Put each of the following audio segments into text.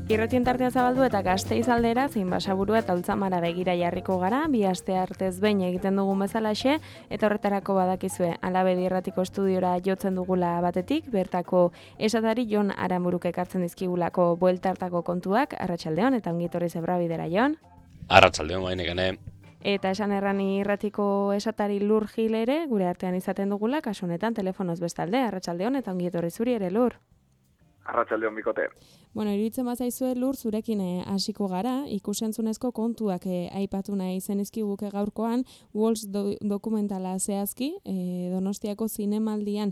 Irratien tartea zabaldu eta Gasteiz aldera zein Basaburua eta Ultzamara begira jarriko gara, bi aste artez behin egiten dugun bezalaxe, eta horretarako badakizue Alabedi Irratiko estudiora jotzen dugula batetik, bertako esatari Jon Aramburuk ekartzen dizkigulako bueltartako kontuak, arratsaldeon eta ongi etorri Zebrabidera, Jon. Arratsaldeon bainekene. Eta esan errani irratiko esatari Lur Gil ere, gure artean izaten dugula, kasu honetan telefonoz bestalde, arratsaldeon eta ongi etorri zuri ere, Lur. Arratsaldeon bikote. Bueno, iruditzen bazaizue Lur zurekin hasiko gara, ikusentzunezko kontuak aipatu nahi zenizkiguke gaurkoan, Walls dokumentala zehazki, Donostiako zinemaldian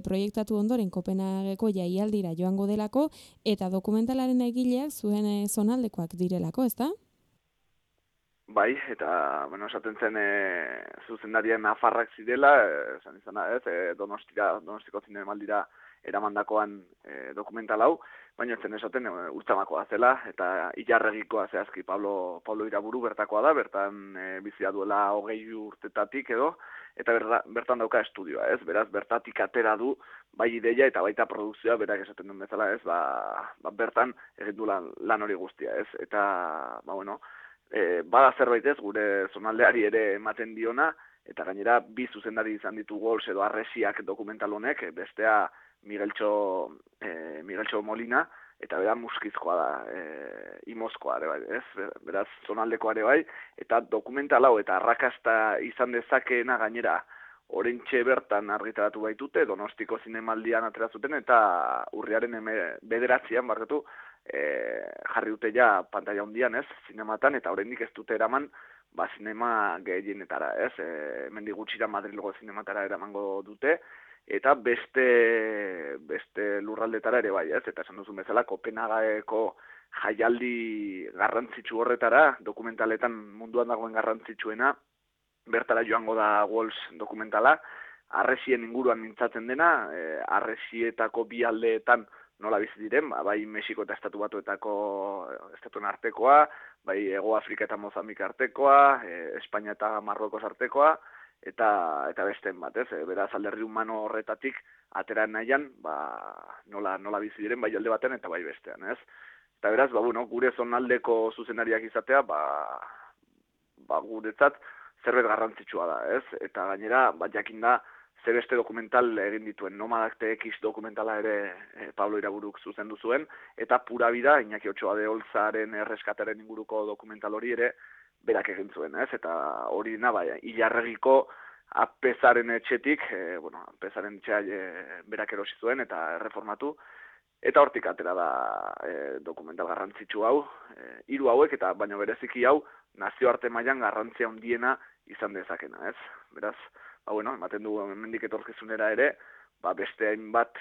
proiektatu ondoren Kopenhageko jaialdira joango delako, eta dokumentalaren egileak zuen zonaldekoak direlako, ezta? Bai, eta, esaten zen zuzendarien nafarrak zirela, esan izana ez, Donostiko zinemaldira eramandakoan dokumental hau, baina zen esaten Ultzamakoa zela, eta Ilarregikoa zehazki Pablo Iraburu bertakoa da, bertan bizia duela 20 urtetatik edo, eta bertan dauka estudioa, ez? Beraz, bertatik atera du, bai ideia eta baita produkzioa, berak esaten duen bezala, ez? Bertan egin du lan hori guztia, ez? Eta, bada zerbait ez, gure zonaldeari ere ematen diona, eta gainera bi zuzendari izan ditu Walls edo Arresiak dokumental honek, bestea Migueltxo Molina, eta bera muskizkoa da, imozkoa ere bai, ez? Beraz, zonaldekoa ere bai, eta dokumental hau eta arrakasta izan dezakeena gainera oraintxe bertan argitaratu baitute, Donostiko zinemaldian atera zuten, eta urriaren 9an jarri dute ja pantalla handian, ez, zinematan, eta oraindik ez dute eraman, zinema gehienetara, ez, hemendik gutxira Madrilgo zinematara eramango dute, eta beste lurraldetara ere bai, ez, eta esan duzun bezala, Kopenhageko jaialdi garrantzitsu horretara, dokumentaletan munduan dagoen garrantzitsuena, bertara joango da Walls dokumentala, Arresien inguruan mintzatzen dena, Arresietako bi aldeetan nola bizi diren, bai Mexiko eta estatuen artekoa, bai Hego Afrika eta Mozambik artekoa, Espainia eta Marrokos artekoa, eta besteen bat, ez? Beraz, alderdi humano horretatik atera nahian, nola bizi diren bai alde batean eta bai bestean, ez? Eta beraz, gure zonaldeko zuzenariak izatea, guretzat zerbait garrantzitsua da, ez? Eta gainera, jakin da, zer beste dokumental egin dituen, Nomadak TX dokumentala ere Pablo Iraburuk zuzendu zuen, eta Pura Vida, Iñaki Otxoa de Olzaren erreskataren inguruko dokumental hori ere berak egin zuen, ez? Eta hori Ilarregiko Apezaren etxetik, Apezaren etxea berak erosi zuen eta erreformatu, eta hortik atera da dokumental garrantzitsu hau, 3 hauek, eta baina bereziki hau nazioarte mailan garrantzia handiena izan dezakena, ez? Beraz, ematen du hemendik etorkizunera ere, beste hainbat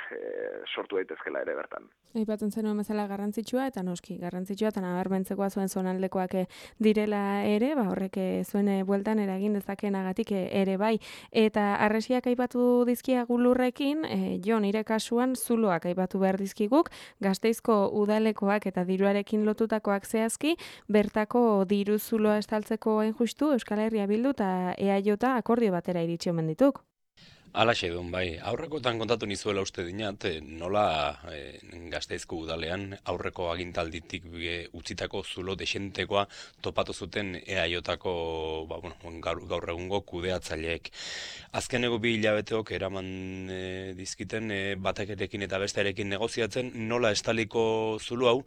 sortu daitezkela ere bertan. Aipatzen zenuen bezala garrantzitsua eta noski garrantzitsua eta nabarmentzekoa zuen zonaldekoak direla ere, horrek zuen bueltan eragin dezakenagatik ere bai. Eta Arresiak aipatu dizkiagu Lurrekin, Jon, nire kasuan zuloak aipatu behar dizkiguk, Gasteizko udalekoak eta diruarekin lotutakoak zehazki, bertako diru zuloa estaltzeko hain justu Euskal Herria Bildu eta EAJ akordio batera iritsi omen dituk. Alaxe duen, bai. Aurrekotan kontatu nizuela uste dinat, nola Gasteizko udalean aurreko agintalditik utzitako zulo desentekoa topatu zuten EAJ-ako gaur egungo kudeatzaileek. Azkeneko 2 hilabeteok eraman dizkiten batekerekin eta bestearekin negoziatzen, nola estaliko zulo hau,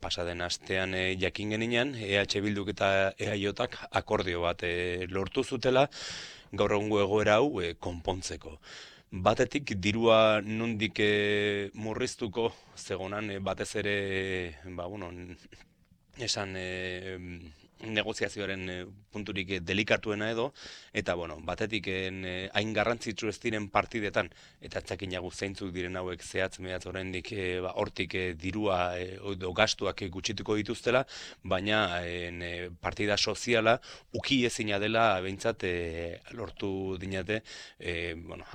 pasaden astean jakin geninean, EH Bilduk eta EAJ-ak akordio bat lortu zutela, gaur egungo egoera hau konpontzeko. Batetik dirua nondik murriztuko zegonan batez ere esan negoziazioaren punturik delikatuena edo, eta batetik hain garrantzitsu ez diren partidetan, eta txakinagu zeintzuk diren hauek zehatz-mehatz oraindik hortik dirua edo gastuak gutxituko dituztela, baina partida soziala ukiezina dela behintzat lortu dinate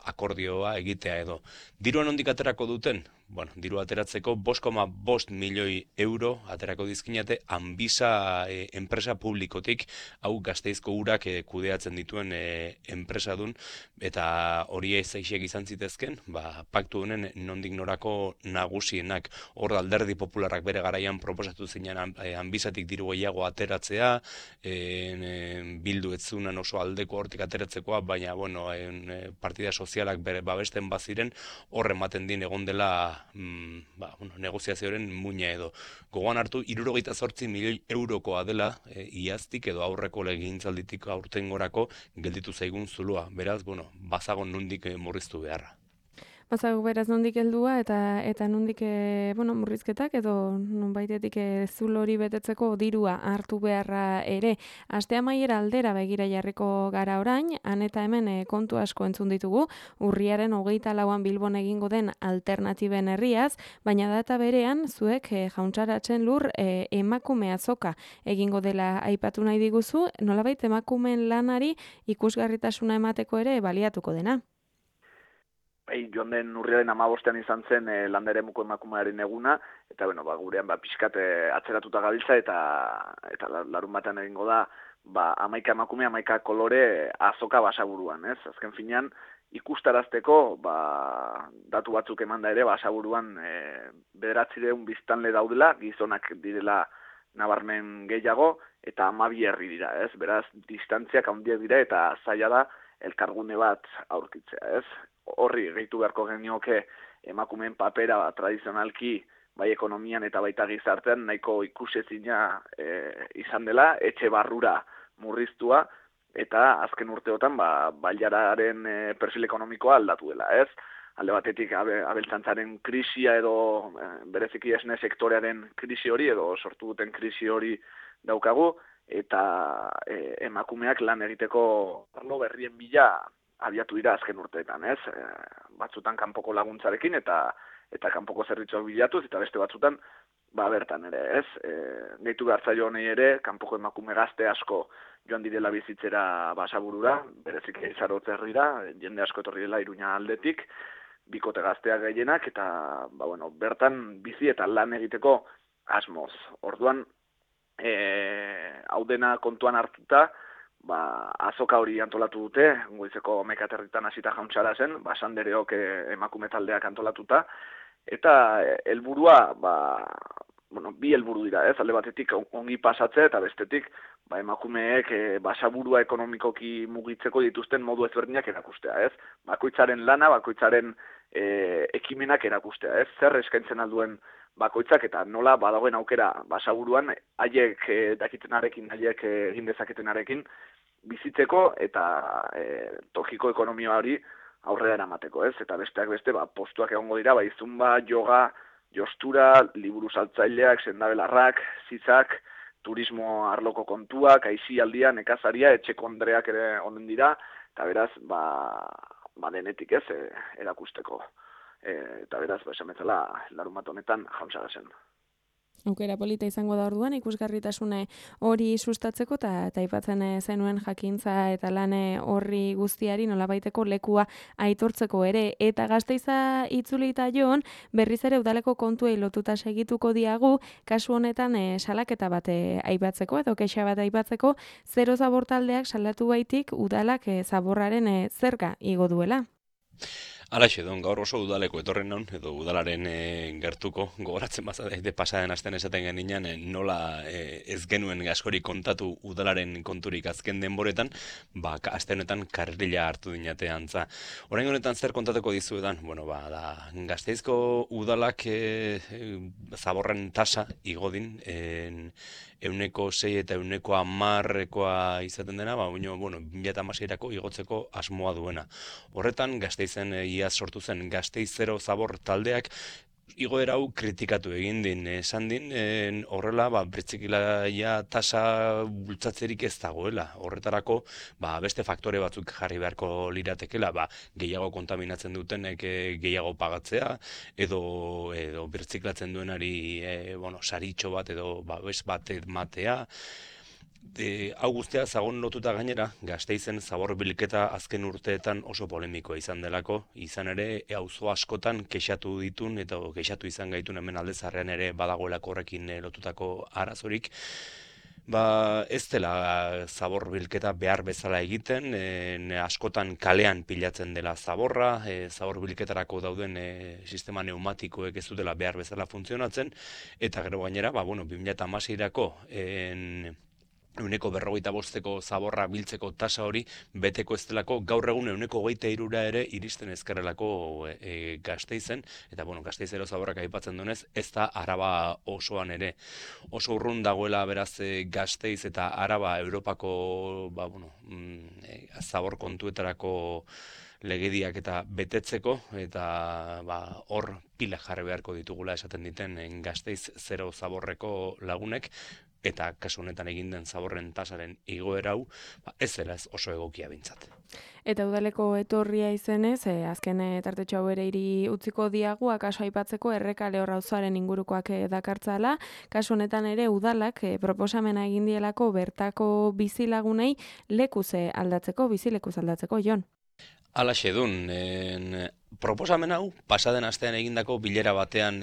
akordioa egitea edo. Dirua nondik aterako duten? diru ateratzeko 5,5 milioi euro aterako dizkinate Anbisa enpresa publikotik, hau Gasteizko urak kudeatzen dituen enpresadun, eta hori eixek izan zitezken, paktu honen nondik norako nagusienak. Hor Alderdi Popularrak bere garaian proposatu zinen Anbisatik diru gehiago ateratzea, Bildu ez zunan oso aldeko hortik ateratzekoa, baina partida sozialak bere babesten baziren, horre ematen din egon dela negoziazioaren muina edo. Gogoan hartu, 78 milioi eurokoa dela iaztik edo aurreko legegintzalditik aurtengorako gelditu zaigun zulua. Beraz, bazagon nondik murriztu beharra. Bazago beraz nondik heldua eta nondik murrizketak edo nonbaitetik zulo hori betetzeko dirua hartu beharra ere. Aste amaiera aldera begira jarriko gara orain, han eta hemen kontu asko entzun ditugu, urriaren 24an Bilbon egingo den alternatiben herriaz, baina data berean zuek Jauntsaratzen lur emakume azoka egingo dela aipatu nahi diguzu, nolabait emakumeen lanari ikusgarritasuna emateko ere baliatuko dena. Joan den urriaren 15ean izan zen landaremuko emakumearen eguna, eta gurean pixkat atzeratuta gabiltza, eta larun batean egingo da, 11 emakume, 11 kolore azoka Basaburuan, ez? Azken finean, ikustarazteko, datu batzuk emanda ere, Basaburuan 900 biztanle daudela, gizonak direla nabarmen gehiago, eta 12 herri dira, ez? Beraz, distantziak handiak dira, eta zaila da elkargune bat aurkitzea, ez? Horri gehitu beharko genioke emakumeen papera tradizionalki bai ekonomian eta baita gizartean nahiko ikusezina izan dela, etxe barrura murriztua, eta azken urteotan bailararen perfil ekonomikoa aldatu dela, ez? Alde batetik abeltzaintzaren krisia edo bereziki esne sektorearen krisi hori edo sortu duten krisi hori daukagu, eta emakumeak lan egiteko arlo berrien bila abiatu dira azken urteetan, ez? Batzutan kanpoko laguntzarekin eta kanpoko zerbitzuak bilatuz, eta beste batzutan bertan ere, ez? Gehitu behartzaio honei ere, kanpoko emakume gazte asko joan direla bizitzera Basaburura, berezik Zarautz herrira, jende asko etorri dela Iruña aldetik, bikote gazteak gehienak, eta bertan bizi eta lan egiteko asmoz. Orduan, hau dena kontuan hartuta, azoka hori antolatu dute, goizeko mekaterritan hasita Jauntsarazen, Sandereok emakume taldeak antolatuta, eta helburua, bi helburu dira, ez? Alde batetik ongi pasatzea, eta bestetik, emakumeek Basaburua ekonomikoki mugitzeko dituzten modu ezberdinak erakustea, ez? Bakoitzaren lana, bakoitzaren ekimenak erakustea, ez? Zer eskaintzen alduen bakoitzak eta nola badagoen aukera Basaburuan haiek dakitenarekin, haiek egin dezaketenarekin bizitzeko eta tokiko ekonomia hori aurrera eramateko, ez? Eta besteak beste, postuak egongo dira, zumba, yoga, jostura, liburu saltzaileak, sendabelarrak, zitzak, turismo arloko kontuak, aisialdia, nekazaria, etxeko andreak ere onen dira, eta beraz, denetik ez, erakusteko. Eta beraz, esan bezala, larun bat honetan Jauntsarazen. Aukera polita izango da orduan, ikusgarritasune hori sustatzeko eta aipatzen zenuen jakintza eta lan horri guztiari nolabaiteko lekua aitortzeko ere. Eta Gasteiza itzulita joan, berriz ere udaleko kontuei lotuta segituko diagu, kasu honetan salaketa bat aipatzeko edo kexa bat aipatzeko, Zero Zabor taldeak salatu baitik udalak zaborraren zerga igo duela. Alaxe, gaur oso udaleko etorren non, edo udalaren gertuko, gogoratzen bazate pasaden astean esaten geninan, nola ez genuen askori kontatu udalaren konturik azken denboretan, aste honetan karrila hartu dinate antza. Orain honetan zer kontatuko dizuetan? Da Gasteizko udalak zaborren tasa igodin, 6% eta 10% izaten dena, 2016erako igotzeko asmoa duena. Horretan, Gasteizen iaz sortu zen Gasteiz Zero Zabor taldeak igoera hau kritikatu egin din, esan din, horrela, birtziklaia tasa bultzatzerik ez dagoela. Horretarako, beste faktore batzuk jarri beharko liratekela, gehiago kontaminatzen dutenek gehiago pagatzea, edo birtziklatzen duenari saritxo bat edo babes bat matea, Hau guztia zagon lotuta gainera, Gasteizen zabor bilketa azken urteetan oso polemikoa izan delako, izan ere auzo askotan kexatu ditun eta kexatu izan gaitun hemen Aldezarrean ere badagoelako horrekin lotutako arazorik. Ez dela zabor bilketa behar bezala egiten, askotan kalean pilatzen dela zaborra, zabor bilketarako dauden sistema neumatikoek ez dutela behar bezala funtzionatzen, eta gero gainera, 2016-erako 155 zaborra biltzeko tasa hori beteko ez delako gaur egun 123 ere iristen ezkerrelako Gasteizen, eta Gasteizero zaborrak aipatzen duenez, ez da Araba osoan ere. Oso urrun dagoela beraz Gasteiz eta Araba Europako zabor kontuetarako legediak eta betetzeko, eta hor pila jarri beharko ditugula esaten diten Gasteiz zero zaborreko lagunek, eta kasu honetan egin den zaborren tasaren igoera hau, ez dela ez oso egokia bintzat. Eta udaleko etorria izenez, azken tartetxo hau ere hiri utziko diagu, akaso aipatzeko Errekale auzoaren ingurukoak dakartzala, kasu honetan ere udalak proposamena egin dielako bertako bizilagunei lekuz aldatzeko, Jon. Halaxe dun, proposamen hau, pasaden astean egindako bilera batean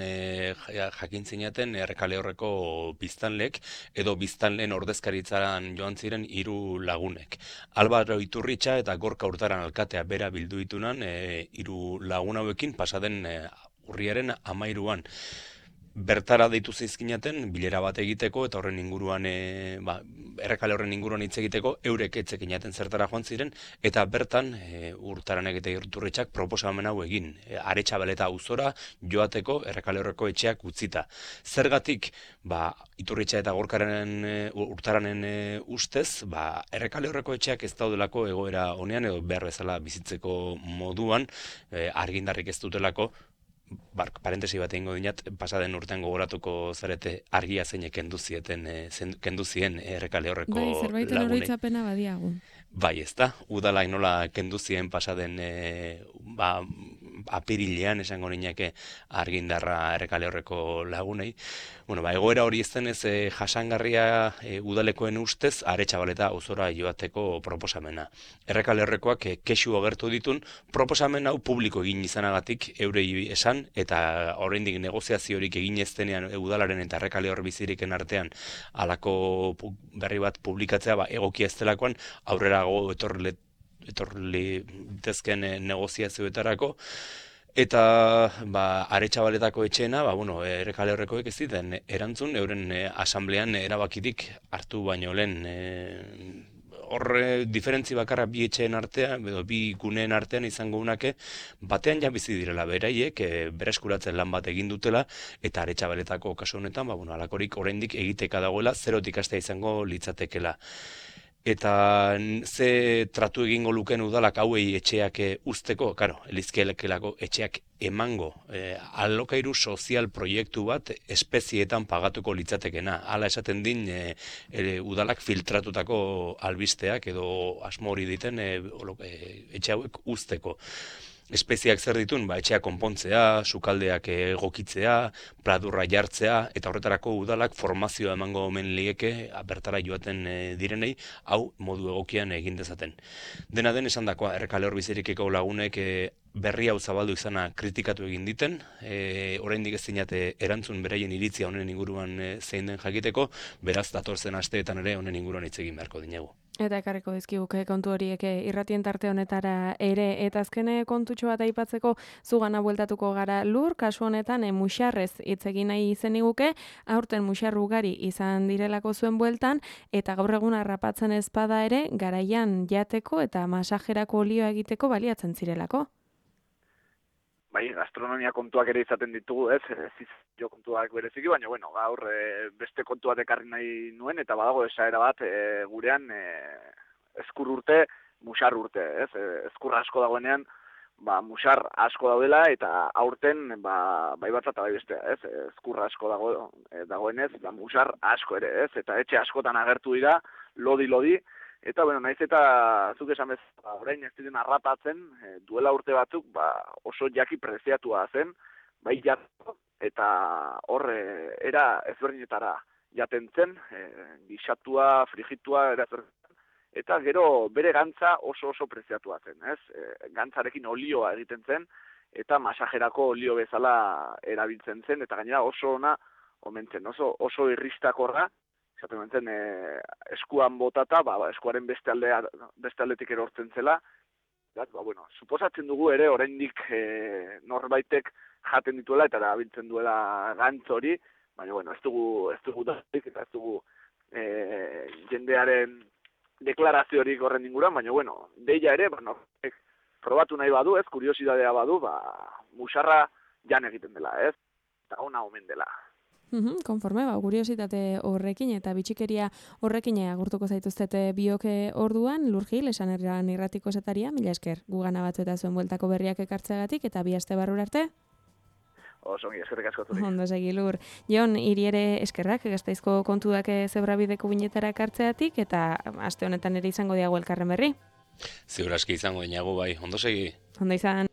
jakintzinaten Errekale horreko biztanlek, edo biztanleen ordezkaritzaran joan ziren 3 lagunek. Albaro Iturritxa eta Gorka Urtaran alkatea bera bildu ditunan 3 lagun hauekin pasaden urriaren 13an. Bertara deitu zizkinaten bilera bat egiteko eta horren inguruan Errekale horren inguruan hitz egiteko eurek etzekinaten zertara joan ziren eta bertan Urtaranek eta Iturritxak proposamen hau egin Aretxabaleta auzora joateko Errekale horreko etxeak utzita. Zergatik Iturritxa eta Urtaranen ustez Errekale horreko etxeak ez daudelako egoera honean edo behar bezala bizitzeko moduan argindarrik ez dutelako. Parentesi bat egingo dinat, pasaden urtean gogoratuko zarete argia zeinek kendu zien Errekale horreko lagunei. Zerbaiten oroitzapena badiagu. Ez da, udalak nola kendu zien pasaden apirilean esango niñake argindarra Errekale horreko lagunei. Egoera hori iztenez jasangarria udalekoen ustez Aretxabaleta auzora joateko proposamena. Errekale horrekoak kexu agertu ditun proposamen hau publiko egin izanagatik eurei esan eta oraindik negoziaziorik egin ez denean udalaren eta Errekale hor biziriken artean halako berri bat publikatzea egokia ez delakoan aurrerago etorri litezken negoziazioetarako. Eta Aretxabaletako etxeena, Errekale horrekoek ez ziten erantzun, euren asamblean erabakitik hartu baino lehen. Horre diferentzi bakarra bi etxeen artean, edo bi guneen artean izango unake, batean ja bizi direla beraiek, bereskuratzen lan bat egin dutela, eta Aretxabaletako kasu honetan, alakorik oraindik egiteka dagoela, zerotik hastea izango litzatekela. Eta ze tratu egingo luken udalak hauei etxeak usteko, elizkielekelako etxeak emango alokairu sozial proiektu bat espezietan pagatuko litzatekena. Hala esaten din udalak filtratutako albisteak edo asmo hori diten etxe hauek usteko. Espeziak zer ditun, etxeak konpontzea, sukaldeak egokitzea, pladurra jartzea, eta horretarako udalak formazioa emango omen lieke bertara joaten direnei, hau modu egokian egin dezaten. Dena den esan dakoa, Errekale hor bizirikeko lagunek berri hau zabaldu izana kritikatu egin diten, oraindik ez dinate erantzun beraien iritzia honen inguruan zein den jakiteko, beraz datorzen asteetan ere honen inguruan hitz egin beharko dinegu. Eta ekarriko dizkiguke kontu horiek irratien tarte honetara ere, eta azkene kontutxo bat aipatzeko zugana bueltatuko gara lur, kasu honetan muxarrez hitz egin nahi izeniguke, aurten muxar ugari izan direlako zuen bueltan, eta gaur egun harrapatzen ezpada ere, garaian jateko eta masajerako olioa egiteko baliatzen zirelako. Gastronomia kontuak ere izaten ditugu, ez jo kontuak bereziki, baina gaur beste kontuak ekarri nahi nuen, eta badago esaera bat gurean ezkur urte, musar urte, ez? Ezkur asko dagoenean, musar asko daudela, eta aurten bai batza eta bai bestea, ez? Ezkur asko dagoenez, musar asko ere, ez? Eta etxe askotan agertu dira, lodi, eta, naiz eta zuk esan bez, orain ez diren harrapatzen, duela urte batzuk, oso jaki preziatua zen, bai jatko, eta hor era ezberdinetara jaten zen, gixatua, frigitua, eta gero bere gantza oso preziatua zen, ez? Gantzarekin olioa egiten zen, eta masajerako olio bezala erabiltzen zen, eta gainera oso ona omen zen, oso irristakorra, esaten zen eskuan botata, eskuaren beste aldetik erortzen zela, suposatzen dugu ere oraindik norbaitek jaten dituela eta erabiltzen duela gantz hori, baina ez dugu datik eta ez dugu jendearen deklaraziorik horren inguruan, baina deia ere, probatu nahi badu, ez, kuriosidadea badu, musarra jan egiten dela, ez, eta ona omen dela. Konforme, kuriositate horrekin eta bitxikeria horrekin agurtuko zaituztete bioke orduan, Lurgil, esan erran irratiko zetaria, mila esker, gugana batzu eta zuen bueltako berriak ekartzeagatik, eta bi aste barrura arte? Osongi, eskerrik asko zuri. Ondo segi, Lur. Jon, hiri ere eskerrak, Gasteizko kontuak zebrabideko binetara ekartzeagatik, eta aste honetan ere izango diago elkarren berri. Ziur aski izango dinagu bai, ondo segi. Ondo izan.